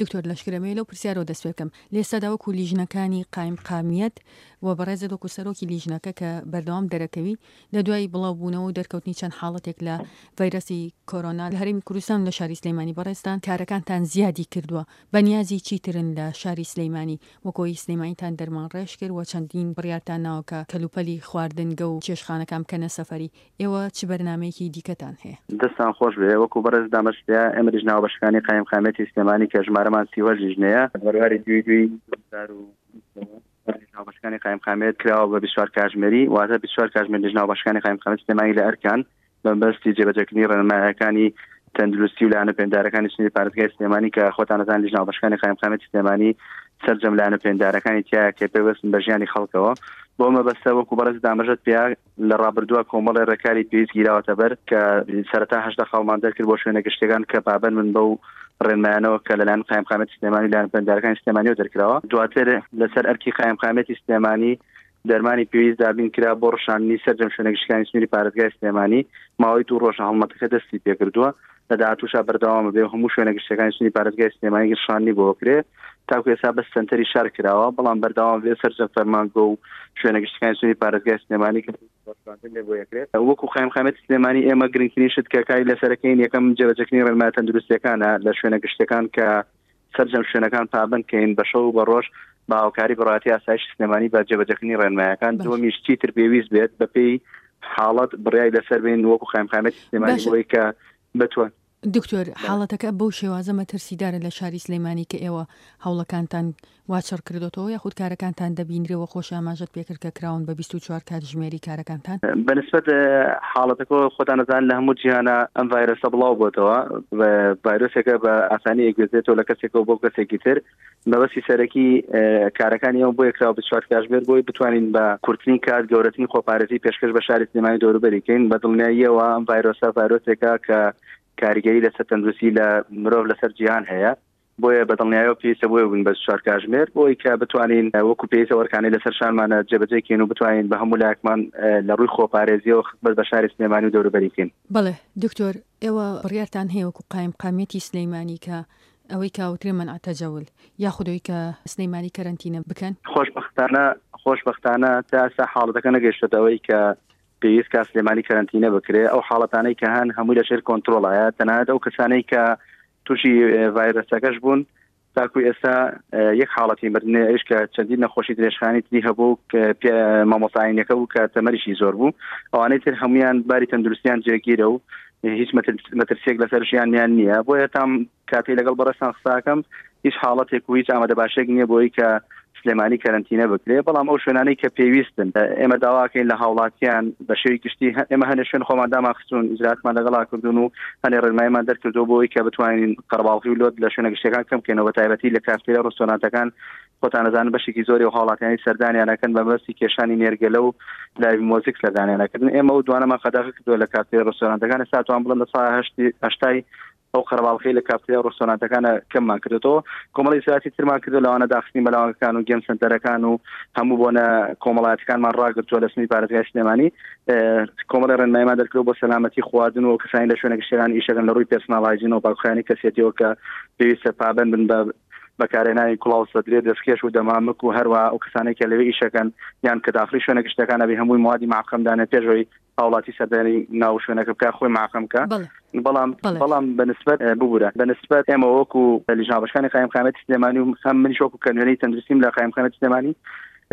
دکتۆر لەشکر ئەمەوێ لەو پرسیارەوە دەست پێ بکەم، لە ئێستادا وەکو لیژنەکانی قایمقامیەت و بەڕێزت وەکو سەرۆکی لیژنەکە کە بەردەوام دەرەکەوی لە دوای بڵاو بوونەوە و دەرکەوتنی چەند حاڵەتێک لە ڤایرەسی کۆرۆنا لە هەرێمی کوردستان و لە شاری سلێمانی بەڕێزتان کارەکانتان زیادی کردووە بەنیازی چیترن لە شاری سلێمانی وەکو ئەوەی سلێمانیتان دەرمانڕێژ کرد و چەندین بڕیارتان ناوە کە کەلوپەلی خواردنگە و چێشتخانەکان بکەنە سەفەری ئێوە چ بەرنامەیەکی دیکەتان هەیە؟ دەستتان خۆش بێ وەکو بەڕێز دامەشتیا ئێمە لیژنە هاوبەشەکانی قایمقامیەتی سلێمانی کە ژمارەمان 38 لیژنەیە بەرواری دووی دووی 2020 لیژنە هاوبەشەکانی قایمقامیەت کراوە بە 24 کاژمێری واتە 24 کاژمێر لیژنە هاوبەشەکانی قایمقامیەت سلێمانی لە ئەرکان بەمبەستی جێبەجێکردنی ڕێنمایەکانی تەندروستی و لایەنە پێندارەکانی سنووری پارێزگای سلێمانی کە خۆتان ئەزانن لیژنە هاوبەشەکانی قایمقامیەتی سلێمانی سەرجەم لایەنە پێندارەکانی تایە کە پێوەستن بە ژیانی خەڵکەوە بۆ مەبەستە وەکو بەڕێز ئاماژەت پێ لە ڕابردووە کۆمەڵێ ڕێکاری پێویست گیراوەتە بەر کە سەرەتا 18 خاڵمان دەرکرد بۆ شوێنە گشتیەکان کە پابەند بن بەو ڕێنمایانەوە کە لەلایەن قایمقامیەتی سلێمانی لایەن پەیوەندیدارەکانی سلێمانیەوە دەرکراوە دواتر لەسەر ئەرکی قایمقامیەتی سلێمانی دەرمانی پێویست دابین کرا بۆ ڕشاندنی سەرجەم شوێنە گشتیەکانی سنووری پارێزگای سلێمانی ماوەی دوو ڕۆژە هەڵمەتەکە دەستی پێکردووە لە داهاتووشا بەردەوامە بێ و هەموو شوێنە گشتیەکانی سنووری پارێزگای سلێمانی ڕشاندنی بۆ بکرێ تاکو ئێستا بەس سەنتەری شار کراوە بەڵام بەردەوام بێ سەرجەم فەرمانگە و شوێنە گشتیەکانی سنووری پارێزگای سلێمانی کە ڕشاندن لێ بۆ یەکرێت وەکو قایمقامیەتی سلێمانی ئێمە گرنگترین شت کە کاری لەسەرەکەین یەکەم جێبەجێکردنی ڕێنمایە تەندروستیەکانە لە شوێنە گشتیەکان کە سەرجەم شوێنەکان پابەند کەین بە شەو و بە ڕۆژ بە هاوکاری بەڕێوەبەرایەتی ئاسایشی سلێمانی بە جێبەجێکردنی ڕێنمایەکان باشە. دووەمیش چیتر پێویست بێت بەپێی حاڵەت بڕیاری لەسەر بین وەکو قایمقامیەتی سلێمانی باشە. بۆی کە بتوان دکتۆر حاڵەتەکە بەو شێوازە مەترسیدارە لە شاری سلێمانی کە ئێوە هەوڵەکانتان وا چڕ کردۆتەوە یاخود کارەکانتان دەبینرێ وە خۆش ئاماژەت پێکرد کە کراون بە 24 کاتژمێری کارەکانتان؟ بە نسبەت حاڵەتەکەوە خۆتان ئەزانن لە هەموو جیهانا ئەم ڤایرۆسە بڵاو بۆتەوە ڤایرۆسێکە بە ئاسانی ئەگوێزێتەوە لە کەسێکەوە بۆ کەسێکی تر مەبەستی سەرەکی کارەکانی ئەو بۆیە کراوە 24 کاژمێر بۆی بتوانین بە کورتترین کات گەورەترین خۆپارێزی پێشکەش بە شاری سلێمانی دەوروبەری کەین بە دڵنیاییەوە ئەم ڤایرۆسە ڤایرۆسێکە کە کاریگەری لەسەر تەندروستی لە مرۆڤ لەسەر جیهان هەیە بۆیە بە دڵنیایەوە پێویستە بۆیە بووین بە چوار کاژمێر بۆی کە بتوانین وەکو پێویستە وەرکانەی لەسەر شانمانە جێبەجێ کەین و بتوانین بە هەموو لایەکمان لە ڕووی خۆپارێزیەوە خزمەت بە شاری سلێمانی و دەوروبەری بکەین. بەڵێ دکتۆر ئێوە بڕیارتان هەیە وەکو قایمقامیەتی سلیمانی کە ئەوەی کە ئەوترێ مەنع تەجەول یاخود ئەوەی کە سلیمانی کەرەنتینە بکەن؟ خۆشبەختانە خۆشبەختانە تا ئێستا حاڵەتەکە نەگەیشتۆتە ئەوەی کە پێویست کا سلێمانی کەرەنتینە بکرێ ئەو حاڵەتانەی کە هەن هەمووی لەژێر کۆنترۆڵایە تەنانەت ئەو کەسانەی کە تووشی ڤایرەسەکەش بوون تاکو ئێستا یەک حاڵەتی مردنێ ئەویش کە چەندین نەخۆشی درێژخانی تری هەبوو مامۆستاینەکە بوو کە تەمەریشی زۆر بوو ئەوانەی تر هەمویان باری تەندروستیان جێگیرە و هیچ مەترسیەک لەسەر ژیانیان نییە بۆیە تام کاتێ لەگەڵ بەڕێزتان قساکەم هیچ حاڵەتێک و هیچ ئامادەباشێک نییە بۆی کە سلێمانی کەرەنتینە بکرێ بەڵام ئەو شوێنانەی کە پێویستن ئێمە داواکەین لە هاوڵاتیان بە شێوی گشتی ئێمە هەنێ شوێن خۆمان دامان خستون ئیجراتمان لەگەڵا کردوون و هەنێ ڕێنماییمان دەرکردووە بۆی کە بتوانین قەرەباڵغی و لۆد لە شوێنە گشتیەکان کەم بکەینەوە بە تایبەتی لە کافتێریا ڕستۆرانتەکان خۆتان ئەزانن بەشێکی زۆری و هاوڵاتیانی سەردانیان ئەکەن بە مەبەستی کێشانی نێرگەلە و لایڤ مۆزیک سەردانیان ئەکردن ئێمە ئەو دوانەمان قەدەغە کردووە لە کافتێریا ڕستۆرانتەکان ئێستا توان بڵێم لە سا هەشتی هەشتای ئەو قەرەباڵخی لە کافتریا و ڕێستۆرانتەکانە کەممان کردێتەوە کۆمەڵی ئیجرائاتی ترمان کردو لەوانە داخستنی مەلاوانگەکان و گێم سنتەرەکان و هەموو بۆنە کۆمەڵایەتەکانمان ڕاگرتووە لە سنووری پارێزگای سلێمانی کۆمەڵی ڕێنماییمان دەرکردووە بۆ سەلامەتی خواردن و کەسانی لە شوێنە گشتیەکان ئیشەکەن لە ڕووی پێرسناڵ هایجین و پاکخوێنی کەسێتیەوە کە پێویستە پابەند بن بە بەکارهێنانی کوڵاو سەدرێ دەستکێش و دەمامک و هەروە ئەو کەسانێک کە لەوێ ئیشەکەن یان کە داخلی شوێنە گشتەکان ئەبێ هەمووی موادی معقەم دانێ پێش ئەوەی هاوڵاتی سەردانی ناو شوێنەکە بکە خۆی معقەم بکە بەڵام بەڵام بەنسبەت ببوورە بەنسبەت ئێمە وەکو لیژنابەشکانی قایمقامیەتی سلێمانی و هەم منیش وەکو کە نوێنەری تەندروستیم لە قایمقامیەتی سلێمانی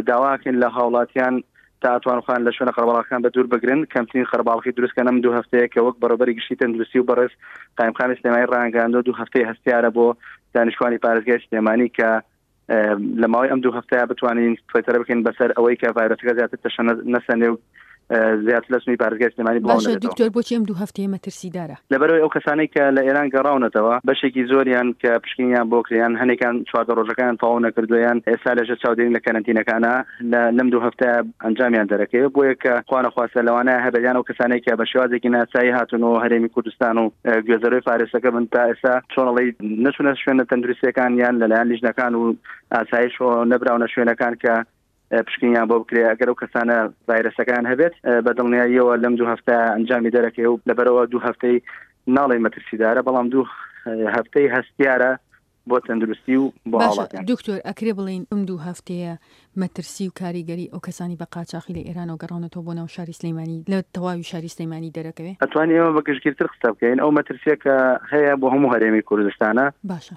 داواکەین لە هاوڵاتیان تا ئەتوان خۆیان لە شوێنە قەرەباڵغەکان بە دوور بگرن کەمترین قەرەباڵغی دروست کەن ئەم دوو هەفتەیە کە وەک بەڕێوەبەری گشتی تەندروستی و بەڕێز قایمقامی سلێمانی ڕایانگەیاندووە دوو هەفتەی هەستیارە بۆ دانیشتوانی پارێزگای سلێمانی کە لە ماوەی ئەم دوو هەفتەیە بتوانین سەیتەرە بکەین بەسەر ئەوەی کە ڤایرۆسەکە زیاتر تەشەنە نەسەنێ و زیاتر لە سنووری پارێزگای سلێمانی بڵاو باشە نەبێتەوە. دکتۆر بۆچی ئەم دوو هەفتەیە مەترسیدارە؟ لەبەرئەوەی ئەو کەسانەی کە لە ئێران گەڕاونەتەوە بەشێکی زۆریان کە پشکنینیان بۆ کرێ یان هەنێکان 14 ڕۆژەکەیان تەواو نەکردووە یان ئێستا لەژێر چاودێرین لە کەرەنتینەکانە لە لەم دوو هەفتەیە ئەنجامیان دەرەکەوێت بۆیە کە خوانەخواستە لەوانەیە هەبێت یان ئەو کەسانەی کە بە شێوازێکی ناسایی هاتوونەوە هەرێمی کوردستان و گوێزەرەوەی فارسەکە بن تا ئێستا چۆن ئەڵێی نەچوونە شوێنە تەندروستیەکان یان لەلایەن لیژنەکان و ئاسایشەوە نەبراونە شوێنەکان کە پشکنینیان بۆ بکرێ ئەگەر ئەو کەسانە ڤایرەسەکان هەبێت بە دڵنیاییەوە لەم دوو هەفتە ئەنجامی دەرەکەی و لەبەرەوە دوو هەفتەی ناڵێ مەترسیدارە بەڵام دوو هەفتەی هەستیارە بۆ تەندروستی و بۆ باشە هاوڵاتیان. دکتۆر ئەکرێ بڵێین ئەم دوو هەفتەیە مەترسی و کاریگەری ئەو کەسانی بە قاچاخی لە ئێرانەوە گەڕاونەتەوە بۆ ناو شاری سلەیمانی لە تەواوی شاری سلەیمانی دەرەکەوێ؟ ئەتوانین ئێمە بە گشتگیرتر قسە بکەین ئەو مەترسیە کە هەیە بۆ هەموو هەرێمی کوردستانە باشە.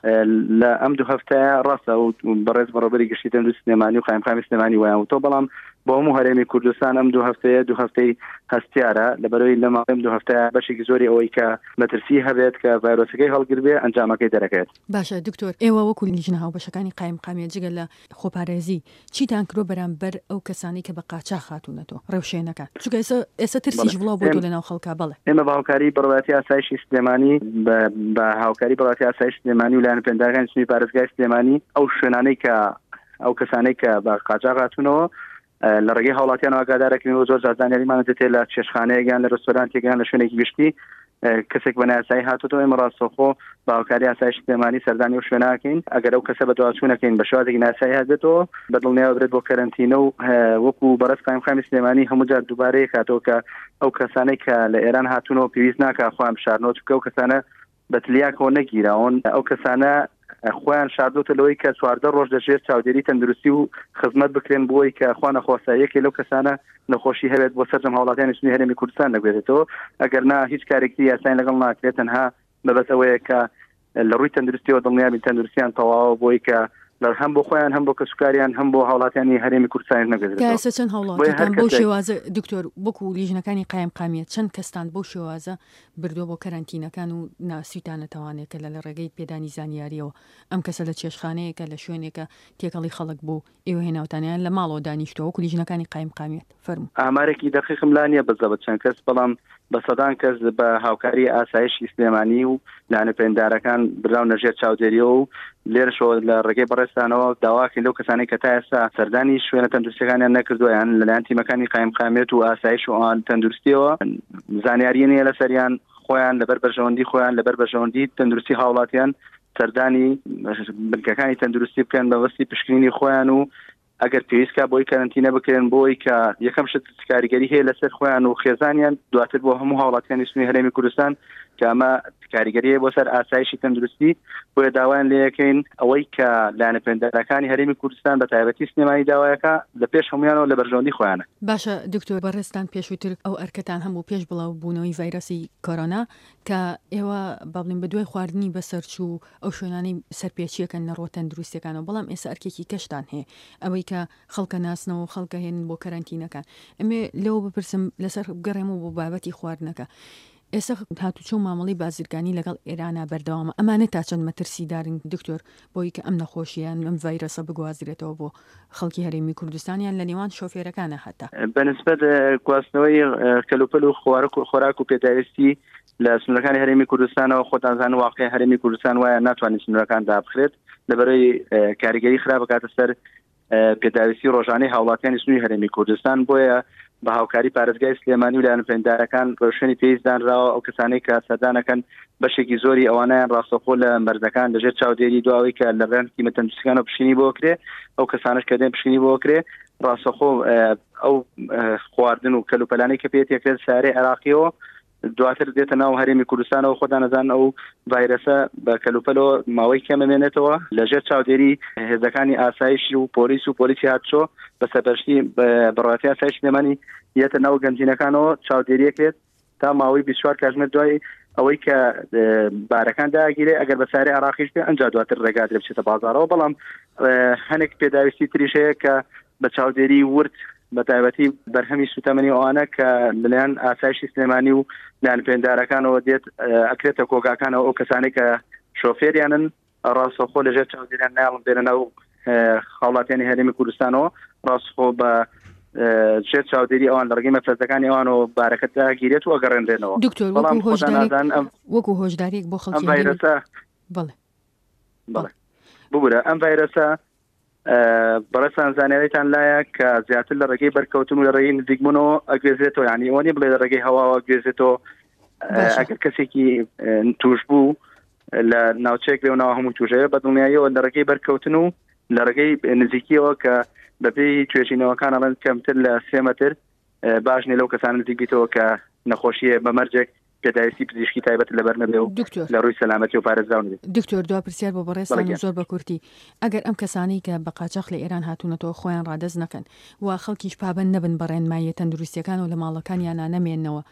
لە ئەم دوو هەفتەیە ڕاستە و بەڕێز بەڕێوەبەری گشتی تەندروستی سلێمانی و قایمقامی سلێمانی وایان وتووە بەڵام بۆ هەموو هەرێمی کوردستان ئەم دوو هەفتەیە دوو هەفتەی هەستیارە لەبەرەوەی لە ماوەی ئەم دوو هەفتەیە بەشێکی زۆری ئەوەی کە مەترسی هەبێت کە ڤایرۆسەکەی هەڵگربێ ئەنجامەکەی دەرەکەوێت. باشە دکتۆر ئێوە وەکو لیژنە هاوبەشەکانی قایمقامیەت جگە لە خۆپارێزی چیتان کردوە بەرامبەر ئەو کەسانەی کە بە قاچاخ هاتونەتەوە ڕێوشێنەکان چونکە ئێستا ئێستا ترسیش بەڵێ بڵاو بۆتەوە لە ناو خەڵکا بەڵێ. ئێمە بە هاوکاری بەڕێوەبەرایەتی ئاسایشی سلێمانی بە بە هاوکاری بەڕێوەبەرایەتی ئاسایشی سلێمانی و لایەنە پەیوەندیدارەکانی سنووری پارێزگای سلێمانی ئەو شوێنانەی کە ئەو کەسانەی کە بە قاچاخ هاتوونەوە لە ڕێگەی هاوڵاتیانەوە ئاگادارەکەین و زۆر جار زانیاریمان دەتێ لە چێشخانەیەک یان لە رێستۆرانتێک یان لە شوێنێکی گشتی کەسێک بە نایاسایی هاتووەتەوە ئێمە ڕاستەوخۆ بە هاوکاری ئاسایش سلێمانی سەردانی ئەو شوێناکەین ئەگەر ئەو کەسە بەدواچوونەکەین بە شێوازێکی ناسایی هاتبێتەوە بە دڵنیاوە برێت بۆ کەرەنتینە و وەکو بەڕێز قایمقامی سلێمانی هەموو جار دووبارەیە کاتەوە کە ئەو کەسانەی کە لە ئێران هاتوونەوە پێویست ناکە خۆیان بشارنەوە چونکە ئەو کەسانە بە تلیاکەوە نەگیراون، ئەو کەسانە خۆیان شاردۆتە لەوەی کە 14 ڕۆژ لە ژێر چاودێری تەندروستی و خزمەت بکرێن بۆی کە خوا نەخواستە یەکێ لەو کەسانە نەخۆشی هەبێت بۆ سەرجەم هاوڵاتیانی سنووری هەرێمی کوردستان نەگوێزێتەوە ئەگەر نا هیچ کارێکی یاسایان لەگەڵ ناکرێت تەنها مەبەست ئەوەیە کە لە ڕووی تەندروستیەوە دڵنیابین تەندروستیان تەواوە بۆی کە لە هەم بۆ خۆیان هەم بۆ کەسوکاریان هەم بۆ هاوڵاتیانی هەرێمی کوردستانیش تا نەگوێزرێتەوە ئێستا چەند بۆیە هەر هاوڵاتیتان بەو کەسێک شێوازە دکتۆر وەکو لیژنەکانی قایمقامیەت چەند کەستان بەو شێوازە بردووە بۆ کەرەنتینەکان و ناسیوتانەتەوانێ کە لە لە ڕێگەی پێدانی زانیاریەوە ئەم کەسە لە چێشتخانەیەکە لە شوێنێکە تێکەڵی خەڵک بوو ئێوە هێناوتانە یان لە ماڵەوە دانیشتووە وەکو لیژنەکانی قایمقامیەت فەرموو. ئامارێکی دەقیقم لا نییە بزەبت چەند کەس، بەڵام بە سەدان کەس بە هاوکاری ئاسایشی سلێمانی و لایەنە پەیوەندیدارەکان براونە ژێر چاودێریەوە و لێرەشەوە لە ڕێگەی بەڕێزتانەوە داواکەین لەو کەسانەی کە تا ئێستا سەردانی شوێنە تەندروستیەکانیان نەکردووە یان لەلایەن تیمەکانی قایمقامیەت و ئاسایش و ئەوان تەندروستیەوە زانیاری نییە لەسەریان خۆیان لەبەر بەرژەوەندی خۆیان لەبەر بەرژەوەندی تەندروستی هاوڵاتیان سەردانی بنکەکانی تەندروستی بکەن بە مەبەستی پشکنینی خۆیان و ئەگەر پێویست کا بۆی کەرەنتینە بکرێن بۆی کە یەکەم شت کاریگەری هەیە لەسەر خۆیان و خێزانیان دواتر بۆ هەموو هاوڵاتیانی سنووری هەرێمی کوردستان کە ئەمە کاریگەری هەیە بۆ سەر ئاسایشی تەندروستی بۆیە داوایان لێ یەکەین ئەوەی کە لایەنە پەیوەندیدارەکانی هەرێمی کوردستان بە تایبەتی سلێمانی داوایەکە لە پێش هەمویانەوە لە بەرژەوەندی خۆیانە. باشە دکتۆر بەڕێزتان پێشووتر ئەو ئەرکەتان هەبوو پێش بڵاو بوونەوەی ڤایرۆسی کۆرۆنا کە ئێوە با بڵێین بە دوای خواردنی بەسەرچوو ئەو شوێنانەی سەرپێچیەکەن لە ڕووە تەندروستیەکانەوە بەڵام ئێستا ئەرکێکی کەشتان هەیە ئەوەی کە خەڵکە ناسنەوە و خەڵکە هێنن بۆ کەرەنتینەکان ئەمێ لەوە بپرسم لەسەر بگەڕێمەوە بۆ بابەتی خواردنەکە ئێستا هاتوچۆ و مامەڵەی بازرگانی لەگەڵ ئێرانا بەردەوامە ئەمانە تا چەند مەترسیدارن دکتۆر بۆی کە ئەم نەخۆشیە یان ئەم ڤایرۆسە بگوازرێتەوە بۆ خەڵکی هەرێمی کوردستان یان لە نێوان شۆفێرەکانە هەتا. بەنسبەت گواستنەوەی کەلوپەل و خۆراک و پێداویستی لە سنوورەکانی هەرێمی کوردستانەوە خۆتان زانن واقعی هەرێمی کوردستان وایە ناتوانێت سنوورەکان دابخرێت لەبەرەی کاریگەری خراپ بکاتە سەر پێداویستی ڕۆژانەی هاوڵاتیانی سنووری هەرێمی کوردستان بۆیە بە هاوکاری پارێزگای سلێمانی و لایەنە پەیوەندیدارەکان ڕێوشوێنی پێویست دانراوە ئەو کەسانەی کە سەردانەکەن بەشێکی زۆری ئەوانیان ڕاستەوخۆ لە مەرزەکان لەژێر چاودێری دواوەی کە لە ڕێن تیمە تەندروستیەکانەوە پشکنینی بۆ کرێ ئەو کەسانش کە دێن پشکنینی بۆ کرێ ڕاستەوخۆ ئەو خواردن و کەلوپەلانەی کە پێ تێکرێت سارەی عێراقیەوە دواتر دێتە ناو هەرێمی کوردستانەوە خۆتان ئەزانن ئەو ڤایرەسە بە کەلوپەلەوە ماوەی کەم ئەمێنێتەوە لەژێر چاودێری هێزەکانی ئاسایش و پۆلیس و پۆلیسی هاتچۆ بە سەرپەرشتی بەڕێوەبەرایەتی ئاسایش سلێمانی یەتە ناو گەنجینەکانەوە چاودێریەکرێت تا ماوەی 24 کاتژمێر دوای ئەوەی کە بارەکان داگیرێ ئەگەر بە سارەی عراقیش بێ ئەنجا دواتر ڕێگا درێ بچێتە بازارەوە بەڵام هەنێک پێداویستی تریش هەیە کە بە چاودێری ورد بە تایبەتی بەرهەمی سوتەمەنی ئەوانە کە لەلایەن ئاسایشی سلێمانی و لایەن پێندارەکانەوە دێت ئەکرێتە کۆگاکانەوە ئەو کەسانەی کە شۆفێریانن ڕاستەوخۆ لەژێر چاودێریان نایڵن بێنە ناو هاوڵاتیانی هەرێمی کوردستانەوە ڕاستخۆ بە ژێر چاودێری ئەوان لە ڕێگەی مەفرەزەکانی ئەوانەوە بارەکە داگیرێت و ئەگەڕێنرێنەوە دکتۆر بەڵام وەکو هۆشداریێک بۆ خەڵکی ڤایرەسە بەڵێ بەڵێ ببورە ئەم ڤایرەسە بەڕێزتان زانیاریتان لایە کە زیاتر لە ڕێگەی بەرکەوتن و لە ڕێگەی نزیکبوونەوە ئەگوێزرێتەوە یعنی ئەوە نیە بڵێ لە ڕێگەی هەواوە گوێزێتەوە ئەگەر کەسێکی توش بوو لە ناوچەیەک لەو ناوە هەموو توژەیە بە دڵنیاییەوە لە ڕێگەی بەرکەوتن و لە ڕێگەی نزیکیەوە کە بەپێی توێژینەوەکان ئەڵێن کەمتر لە سێ مەتر باش نیە لەو کەسانە نزیک بیتەوە کە نەخۆشیە بە مەرجێک. پێداویستی پزیشکی تایبەت لەبەر نەبێ و دکتۆر لە ڕووی سەلامەتی و پارێزراو نەبێت. دکتۆر دوا پرسیار بۆ بەڵێ بەڕێزتان و گیان. زۆر بە کورتی، ئەگەر ئەم کەسانەی کە بە قاچاخ لە ئێران هاتوونەتەوە خۆیان ڕادەست نەکەن و خەڵکیش پابەند نەبن بە ڕێنماییە تەندروستییەکان و لە ماڵەکانیانا نەمێننەوە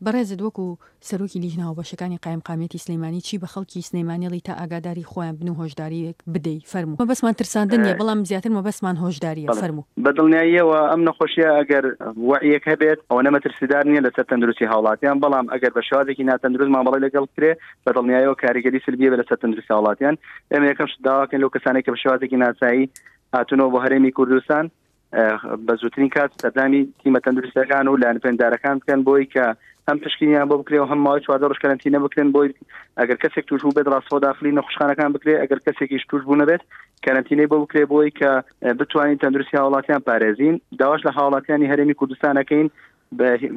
بەڕێزت وەکو سەرۆکی لیژنە هاوبەشەکانی قایمقامیەتی سلێمانی چی بە خەڵکی سلێمانی ئەڵێی تا ئاگاداری خۆیان بن و هۆشداریەک بدەی فەرموو مەبەستمان ترساندن نیە بەڵام زیاتر مەبەستمان هۆشداریە بەڵێ فەرموو. بە دڵنیاییەوە ئەم نەخۆشیە ئەگەر وەعیەک هەبێت ئەوەنە مەترسیدار نیە لەسەر تەندروستی هاوڵاتیان بەڵام ئەگەر بە شێوازێکی ناتەندروست مامەڵەی لەگەڵ بکرێ بە دڵنیایەوە کاریگەری سلبیە بێ لەسەر تەندروستی هاوڵاتیان ئێمە یەکەم شت داواکەین لەو کەسانەی کە بە شێوازێکی ناسایی هاتوونەوە بۆ هەرێمی کوردستان بە زووترین کات سەردانی تیمە تەندروستەکان و لایەنە پەیوەندیدارەکان بکەن بۆی کە هەم پشکنینیان بۆ بکرێ و هەم ماوەی 14 ڕۆژ کەرەنتینە بکرێن بۆی ئەگەر کەسێک توش بوو بێت ڕاستەوخۆ داخلی نەخۆشخانەکان بکرێ ئەگەر کەسێکیش توش بوو نەبێت کەرەنتینەی بۆ بکرێ بۆی کە بتوانین تەندروستی هاوڵاتیان پارێزین داواش لە هاوڵاتیانی هەرێمی کوردستان ئەکەین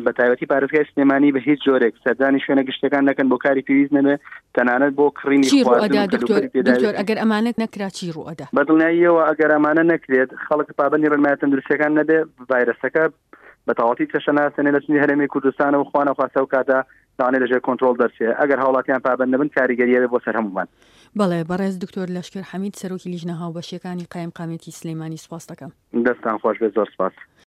بە تایبەتی پارێزگای سلێمانی بە هیچ جۆرێک سەردانی شوێنە گشتیەکان نەکەن بۆ کاری پێویست نەبێ تەنانەت بۆ کڕینی چی خواردن ڕوئەدا و دکتۆر کەلوپەلی دکتۆر پێداویستی. ئەگەر ئەمانە نەکرا چی ڕوئەدا؟ بە دڵنیاییەوە ئەگەر ئەمانە نەکرێت خەڵک پابەندی ڕێنمایە تەندروستیەکان نەبێ ڤایرەسەکە بە تەواوەتی تەشە ناسێنێ لە سنووری هەرێمی کوردستانەوە خوا نەخواستە ئەو کاتە لەوانەیە لەژێر کۆنترۆڵ دەرچێ ئەگەر هاوڵاتیان پابەند نەبن کاریگەری ئەبێ بۆ سەر هەموومان. بەڵێ بەڕێز دکتۆر لەشکر حەمید سەرۆکی لیژنە هاوبەشیەکانی قایمقامیەتی سلێمانی سوپاست دەکەم. دەستتان خۆش بێت زۆر سپاس.